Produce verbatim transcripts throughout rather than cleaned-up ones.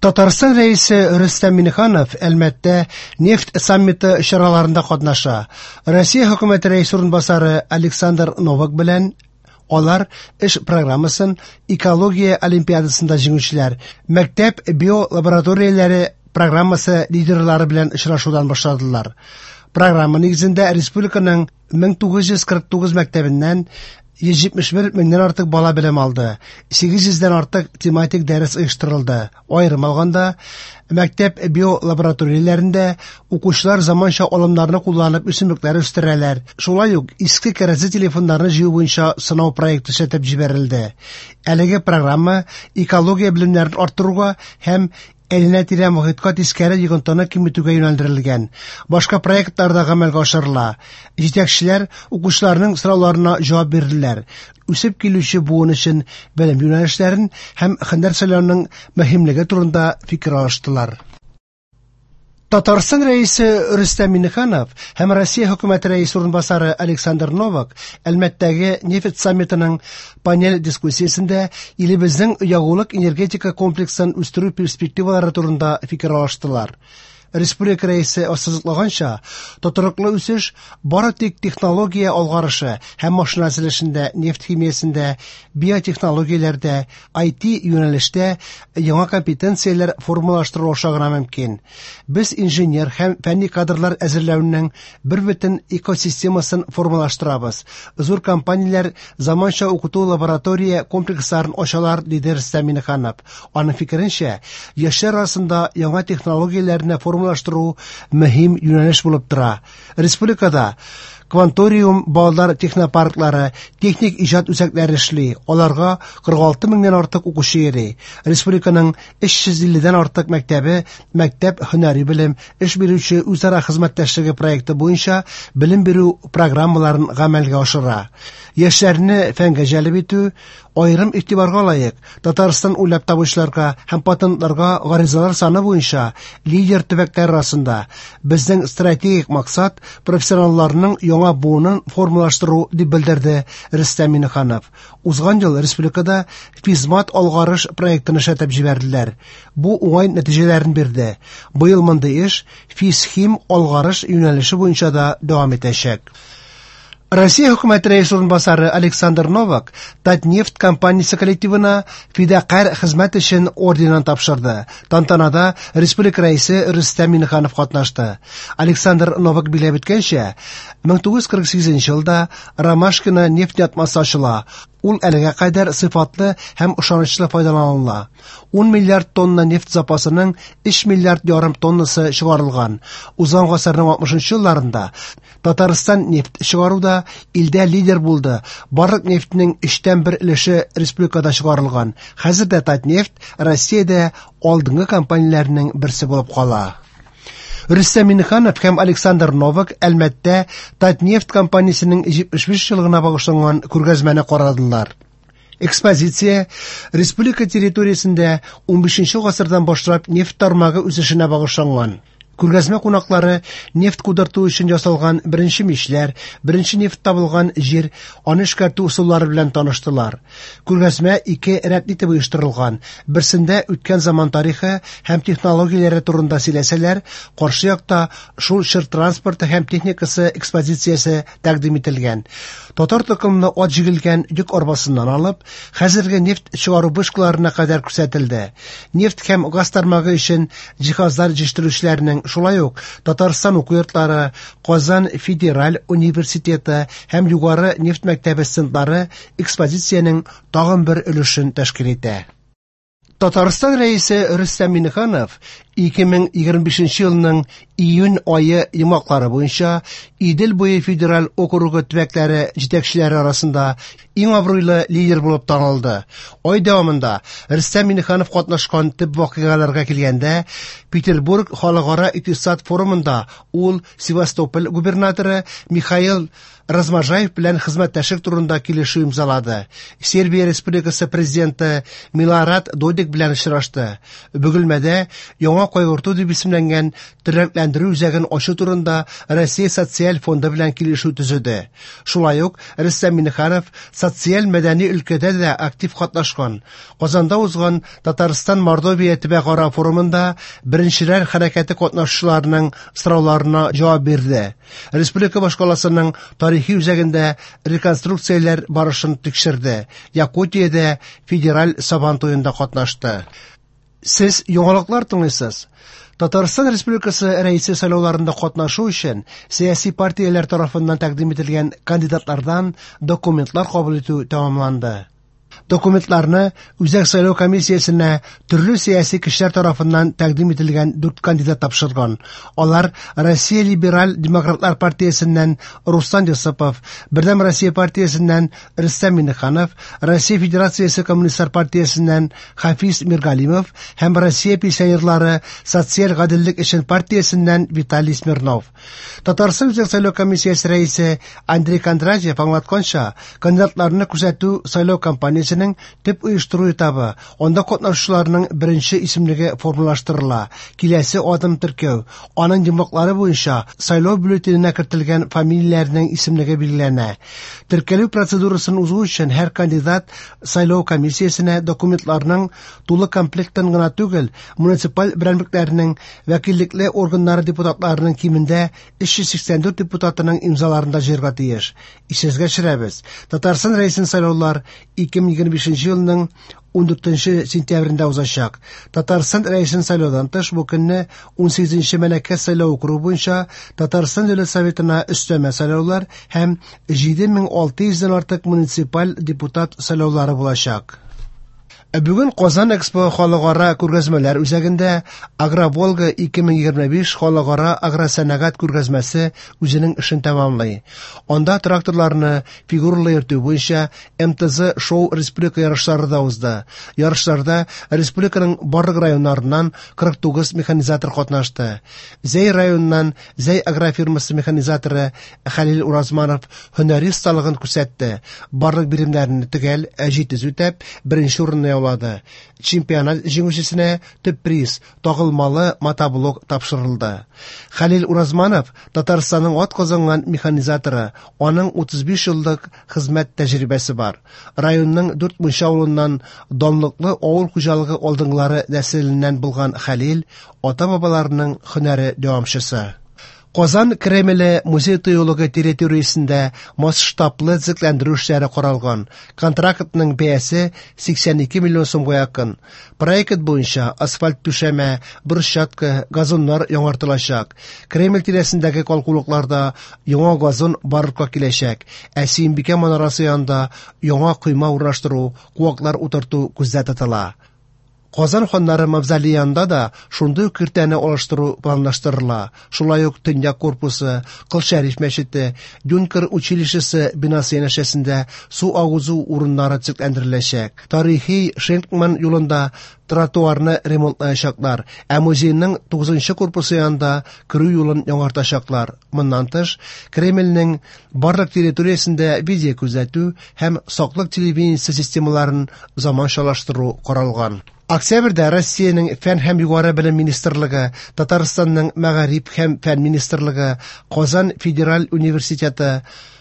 Татарстан Рәисе Рөстәм Миңнеханов Әлмәттә нефть саммиты чараларында катнаша. Россия хөкүмәте рәисе урынбасары Александр Новак белән алар эш программасын экология олимпиадасында җиңүчеләр, мәктәп биолабораторияләре программасы лидерлары белән очрашудан башладылар. Программа нигезендә республиканың мең тугыз йөз кырык тугыз мәктәбеннән йөз җитмеш бер меңнән артык бала белем алды. Сигез йөздән артык тематик дәрес оештырылды. Аерым алганда, мәктәп биолабораторияләрендә укучылар заманча алымнарны кулланып үсемлекләр үстерәләр. Шулай ук иске кәрәзле телефоннарны җыю буенча сынау проекты эшләтеп җибәрелде. Әлеге программа экология белемнәрен арттыруга һәм әйләнә-тирә мохиткә тискәре йогынтыны киметүгә юнәлдерелгән. Башка проектлар да гамәлгә ашырыла. Җитәкчеләр укучыларның сорауларына җавап бирделәр. Үсеп килүче буын өчен белем юнәлешләрен һәм һөнәр сайлауның мөһимлеге турында фикер алыштылар. Татарстан Рәисе Рөстәм Миңнеханов һәм Россия хөкүмәте рәисе урынбасары Александр Новак Әлмәттәге нефть саммитының панель дискуссиясендә илебезнең ягулык энергетика комплексын үстерү перспективалары турында фикер алыштылар. Республика рәисе ассызыклаганча, тотрыклы үсеш бары тик технология алгарышы һәм машина төзелешендә, нефть химиясендә, биотехнологияләрдә, ай ти юнәлештә яңа компетенцияләр формалаштыру аша гына мөмкин. Без инженер һәм фәнни кадрлар әзерләүнең бер бөтен экосистемасын формалаштырабыз. Зур компанияләр заманча укыту лаборатория комплексларын ачалар, диде Рөстәм Миңнеханов. Аның фикеренчә, яшьләр арасында яңа технологияләрне формалаштыру мөһим юнәлеш булып тора. Республикада Кванториум балалар технопарклары, техник иҗат үзәкләре эшли. Аларга кырык алты меңнән артык укучы йөри. Республиканың өч йөз илледән артык мәктәбе мәктәп һөнәри белем, эш бирүче үзара хезмәттәшлеге проекты буенча белем бирү программаларын гамәлгә ашыра. Яшьләрне фәнгә җәлеп итү аерым игътибарга лаек. Татарстан уйлап табучыларга һәм патентларга гаризалар саны буенча лидер төбәкләр арасында. Безнең стратегик максат профессионалларның яңа буынын формалаштыру, дип белдерде Рөстәм Миңнеханов. Узган ел республикада Физмат алгарыш проектын эшләтеп җибәрделәр. Бу уңай нәтиҗәләрен бирде. Быел мондый эш Физхим алгарыш юнәлеше буенча да дәвам итәчәк. Россия хөкүмәте рәисе урынбасары Александр Новак Татнефть компаниясе коллективына фидакарь хезмәт өчен орденын тапшырды. Тантанада республика рәисе Рөстәм Миңнеханов катнашты. Александр Новак билгеләп үткәнчә, мең тугыз йөз кырык сигезенче елда Ромашкино нефть ятмасы ачыла. Ул әлегә кадәр сыйфатлы һәм ышанычлы файдаланыла. Ун миллиард тонна нефть запасының өч миллиард ярым тоннасы чыгарылган. Узган гасырның алтмышынчы елларында Татарстан нефть чыгаруда илдә лидер булды. Барлык нефтьнең өчтән бер өлеше республикада чыгарылган. Хәзер дә Татнефть Россиядә алдынгы компанияләрнең берсе булып кала. Рөстәм Миңнеханов һәм Александр Новак Әлмәттә Татнефть компаниясенең җитмеш биш еллыгына багышланган күргәзмәне карадылар. Экспозиция республика территориясендә унбишенче гасырдан башлап нефть тармагы үсешенә багышланган. Күргәзмә кунаклары нефть кудырту өчен ясалган беренче мичләр, беренче нефть табылган җир, аны эшкәртү ысуллары белән таныштылар. Күргәзмә ике рәтле итеп оештырылган. Берсендә үткән заман тарихы һәм технологияләре турында сөйләсәләр, каршы якта шул чор транспорты һәм техникасы экспозициясе тәкъдим ителгән. Татар токымлы ат җигелгән йөк арбасыннан алып, хәзерге нефть чыгару вышкаларына кадәр күрсәтелде. Нефть һәм газ тармагы өчен җиһазлар җитештерүчеләрнең шулай ук Татарстан уку йортлары, Казан федераль университеты һәм Югары нефть мәктәбе стендлары экспозициянең тагын бер өлешен тәшкил итә. Татарстан рәисе Рөстәм Миңнеханов ике мең егерме бишенче елның июнь ае йомгаклары буенча Идел буе федераль округы төбәкләре җитәкчеләре арасында иң абруйлы лидер булып танылды. Ай дәвамында Рөстәм Миңнеханов катнашкан төп вакыйгаларга килгәндә, Петербург халыкара икътисад форумында ул Севастополь губернаторы Михаил Разможаев белән хезмәттәшлек турында килешү имзалады. Сербия Республикасы президенты Милорад Додик белән очрашты. Бөгелмәдә яңа Яңа кайгырту дип исемләнгән тернәкләндерү үзәген ачу турында Россия социаль фонды белән килешү төзеде. Шулай ук Рөстәм Миңнеханов социаль-мәдәни өлкәдә дә актив катнашкан. Казанда узган Татарстан-Мордовия төбәкара форумында Беренчеләр хәрәкәте катнашучыларының сорауларына җавап бирде. Республика башкаласының тарихи үзәгендә реконструкцияләр барышын тикшерде. Якутиядә федераль Сабан туенда катнашты. Сез яңалыклар тыңлыйсыз. Татарстан Республикасы Рәисе сайлауларында катнашу өчен сәяси партияләр тарафыннан тәкъдим ителгән кандидатлардан документлар кабул итү тәмамланды. Документларны Үзәк сайлау комиссиясенә төрле сәяси кешеләр тарафыннан тәкъдим ителгән дүрт кандидат тапшырган. Алар Россия либераль демократлар партиясеннән Руслан Йосыпов, Бердәм Россия партиясеннән Рөстәм Миңнеханов, Россия Федерациясе Коммунистлар партиясеннән Хафиз Миргалимов һәм Россия пенсионерлары социаль гаделлек өчен партиясеннән Виталий Смирнов. Татарстан Үзәк сайлау комиссиясе рәисе Андрей Кондратьев аңлатканча, кандидатларны күрсәтү сайлау кампаниясенең төп оештыру этабы, анда катнашучыларның беренче исемлеге формалаштырыла. Киләсе адым теркәү. Аның йомгаклары буенча сайлау бюллетененә кертелгән фамилияләрнең исемлеге билгеләнә. Теркәлү процедурасын узу өчен һәр кандидат сайлау комиссиясенә документларның тулы комплектын гына түгел, муниципаль берәмлекләрнең вәкиллекле органнары депутатларының кимендә өч йөз сиксән дүрт депутатының имзаларын да җыярга тиеш. Исегезгә төшерәбез. Татарстан Рәисен сайлаулар ике мең егерме бишенче елның ундүртенче сентябрендә узачак. Татарстан Рәисен сайлаудан тыш бу көнне унсигезенче Мәләкәс сайлау округы буенча Татарстан Дәүләт Советына өстәмә сайлаулар һәм җиде мең алты йөздән артык муниципаль депутат сайлаулары булачак. Бүген Казан Экспо халыкара күргәзмәләр үзәгендә Агроволга ике мең егерме биш халыкара агросәнәгать күргәзмәсе үзенең эшен тәмамлый. Анда тракторларны фигуралы йөртү буенча эм тэ зэ шоу республика ярышлары да узды. Ярышларда республиканың барлык районнарыннан кырык тугыз механизатор катнашты. Зәй районыннан Зәй агрофирмасы механизаторы Хәлил Уразманов һөнәри осталыгын күрсәтте. Барлык биремнәрне төгәл җитез үтәп, беренче урынны яулады. Чемпионат җиңүчесенә төп приз тагылмалы мотоблок тапшырылды. Хәлил Уразманов Татарстанның ат казанган механизаторы, аның утыз биш еллык хезмәт тәҗрибәсе бар. Районның дүрт мунча авылыннан данлыклы авыл хуҗалыгы алдынгылары нәселеннән булган Хәлил ата-бабаларының һөнәре дәвамчысы. Казан Кремле музей тыюлыгы территориясендә масштаблы төзекләндерү эшләре каралган. Контрактның бәясе сиксән ике миллион сумга якын. Проект буенча асфальт түшәмә, брусчатка, газоннар яңартылачак. Кремль тирәсендәге калкулыкларда яңа газон барлыкка киләчәк. Ә Сөембикә манарасы янында яңа койма урнаштыру, куаклар утырту күздә тотыла. Казан ханнары мавзолеянда да шундый ук киртәне алыштыру планлаштырыла. Шулай ук Төньяк корпусы, Кол Шәриф мәчете, Юнкер училищесы бинасы янәшәсендә су агызу урыннары төзекләндереләчәк. Тарихи Шенкман юлында тротуарны ремонтлаячаклар, ә музейның тугызынчы корпусы янында керү юлын яңартачаклар. Моннан тыш, Кремльнең барлык территориясендә видео күзәтү һәм саклык телевидениесе системаларын заманчалаштыру каралган. Октябрьдә Россиянең Фән һәм югары белем министрлыгы, Татарстанның Мәгариф һәм Фән министрлыгы, Казан федераль университеты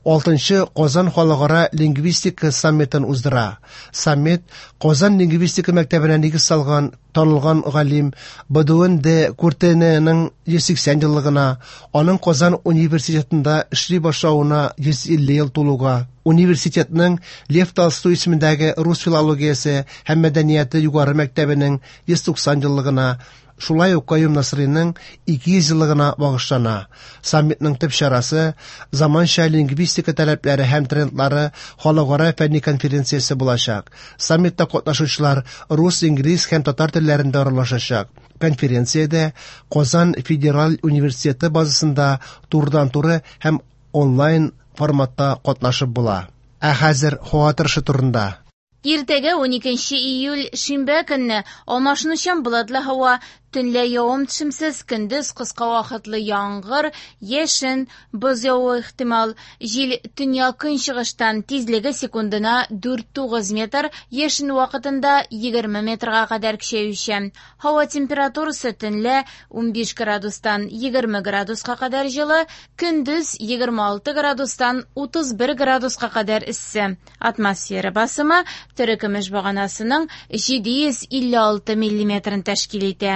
алтынчы Казан халыкара лингвистика саммитын уздыра. Саммит Казан лингвистика мәктәбенә нигез салган танылган галим Бодуэн де Куртененың йөз сиксән еллыгына, аның Казан университетында эшли башлавына йөз илле ел тулуга, университетның Лев Толстой исемендәге рус филологиясе һәм мәдәнияте югары мәктәбенең йөз туксан еллыгына, шулай ук Каюм Насыйриның ике йөз еллыгына багышлана. Саммитның төп чарасы заманча лингвистика таләпләре һәм трендлары халыкара фәнни конференциясе булачак. Саммитта катнашучылар рус, инглиз һәм татар телләрендә аралашачак. Конференциядә Казан федераль университеты базасында турыдан-туры һәм онлайн форматта катнашып була. Ә хәзер һава торышы турында. Иртәгә уникенче июль шимбә көнне алмашынучан болытлы һава, Төнлә явым-төшемсез, көндез кыска вакытлы яңгыр, яшен, боз явуы ихтимал. Җил төньяк-көнчыгыштан, тизлеге секундына дүрт-тугыз метр, яшен вакытында егерме метрга кадәр көчәючән. Һава температурасы төнлә унбиш градустан егерме градуска кадәр җылы, көндез егерме алты градустан утыз бер градуска кадәр эссе. Атмосфера басымы терекөмеш баганасының җиде йөз илле алты миллиметрын тәшкил итә.